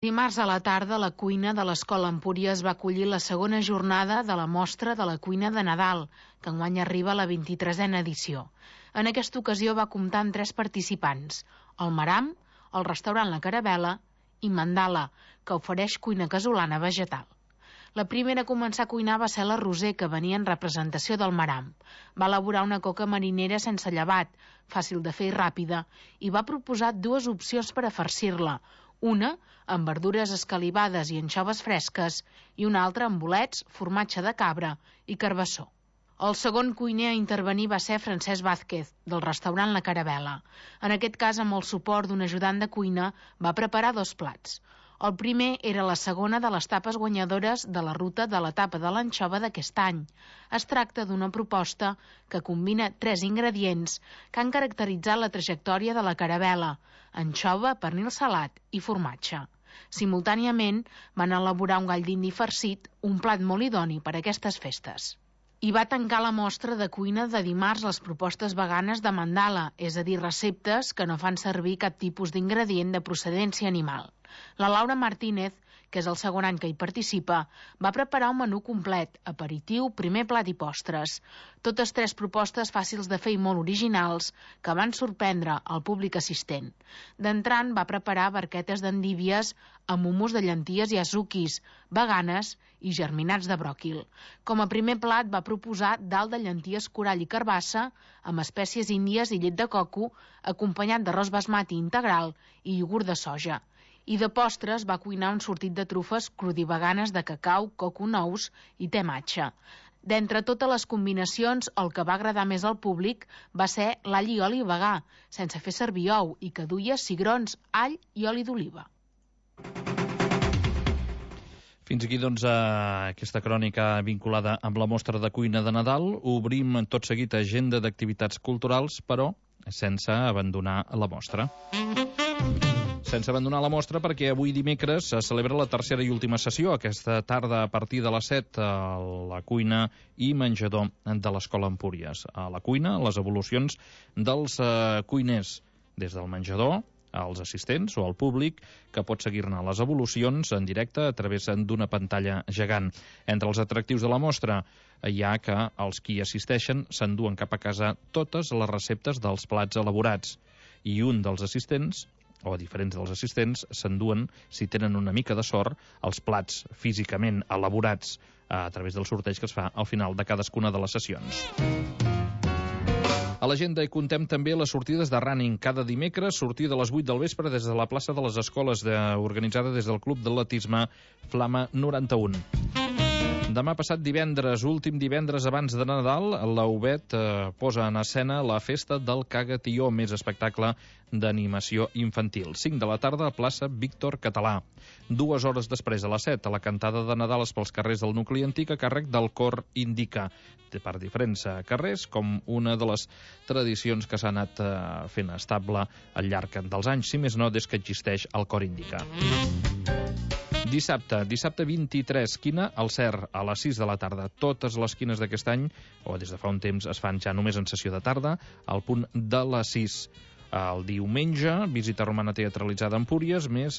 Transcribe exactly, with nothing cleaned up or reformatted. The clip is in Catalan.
Dimarts a la tarda, la cuina de l'Escola Empúries va acollir la segona jornada de la mostra de la cuina de Nadal, que enguany arriba a la vint-i-tresena edició. En aquesta ocasió va comptar amb tres participants: el Maram, el restaurant La Caravel·la i Mandala, que ofereix cuina casolana vegetal. La primera a començar a cuinar va ser la Roser, que venia en representació del Maram. Va elaborar una coca marinera sense llevat, fàcil de fer i ràpida, i va proposar dues opcions per a farcir-la, una amb verdures escalivades i anxoves fresques i una altra amb bolets, formatge de cabra i carbassó. El segon cuiner a intervenir va ser Francesc Vázquez, del restaurant La Caravel·la. En aquest cas, amb el suport d'un ajudant de cuina, va preparar dos plats. El primer era la segona de les tapes guanyadores de la ruta de l'etapa de l'anxova d'aquest any. Es tracta d'una proposta que combina tres ingredients que han caracteritzat la trajectòria de la Caravel·la: anxova, pernil salat i formatge. Simultàniament van elaborar un gall d'indi farcit, un plat molt idoni per a aquestes festes. I va tancar la mostra de cuina de dimarts les propostes veganes de Mandala, és a dir, receptes que no fan servir cap tipus d'ingredient de procedència animal. La Laura Martínez, que és el segon any que hi participa, va preparar un menú complet: aperitiu, primer plat i postres. Totes tres propostes fàcils de fer i molt originals que van sorprendre el públic assistent. D'entrant va preparar barquetes d'endívies amb hummus de llenties i azuquis, veganes i germinats de bròquil. Com a primer plat va proposar dalt de llenties corall i carbassa amb espècies índies i llet de coco, acompanyat d'arròs basmati integral i iogurt de soja. I de postres va cuinar un sortit de trufes crudiveganes de cacau, coco, nous i te matxa. D'entre totes les combinacions, el que va agradar més al públic va ser l'all i oli vegà, sense fer servir ou, i que duia cigrons, all i oli d'oliva. Fins aquí, doncs, aquesta crònica vinculada amb la mostra de cuina de Nadal. Obrim tot seguit agenda d'activitats culturals, però sense abandonar la mostra. Sense abandonar la mostra, perquè avui dimecres se celebra la tercera i última sessió, aquesta tarda a partir de les set, a la cuina i menjador de l'Escola Empúries. A la cuina, les evolucions dels eh, cuiners, des del menjador als assistents o al públic, que pot seguir-ne les evolucions en directe a través d'una pantalla gegant. Entre els atractius de la mostra hi ha que els qui assisteixen s'enduen cap a casa totes les receptes dels plats elaborats, i un dels assistents, o diferents dels assistents, s'enduen, si tenen una mica de sort, els plats físicament elaborats a través del sorteig que es fa al final de cadascuna de les sessions. A l'agenda hi contem també les sortides de running. Cada dimecres, sortida a les vuit del vespre des de la plaça de les Escoles, de, organitzada des del Club d'Atletisme Flama noranta-un. Demà passat divendres, últim divendres abans de Nadal, la U B E T eh, posa en escena la festa del Cagatió, més espectacle d'animació infantil. cinc de la tarda a plaça Víctor Català. Dues hores després, a les set, a la cantada de Nadal pels carrers del nucli antic a càrrec del cor Indica, per diferents carrers, com una de les tradicions que s'ha anat eh, fent estable al llarg dels anys, si més no, des que existeix el cor Indica. Dissabte, dissabte vint-i-tres, quina al Cer, a les sis de la tarda. Totes les quines d'aquest any, o des de fa un temps, es fan ja només en sessió de tarda, al punt de les sis. El diumenge, visita romana teatralitzada a Empúries, més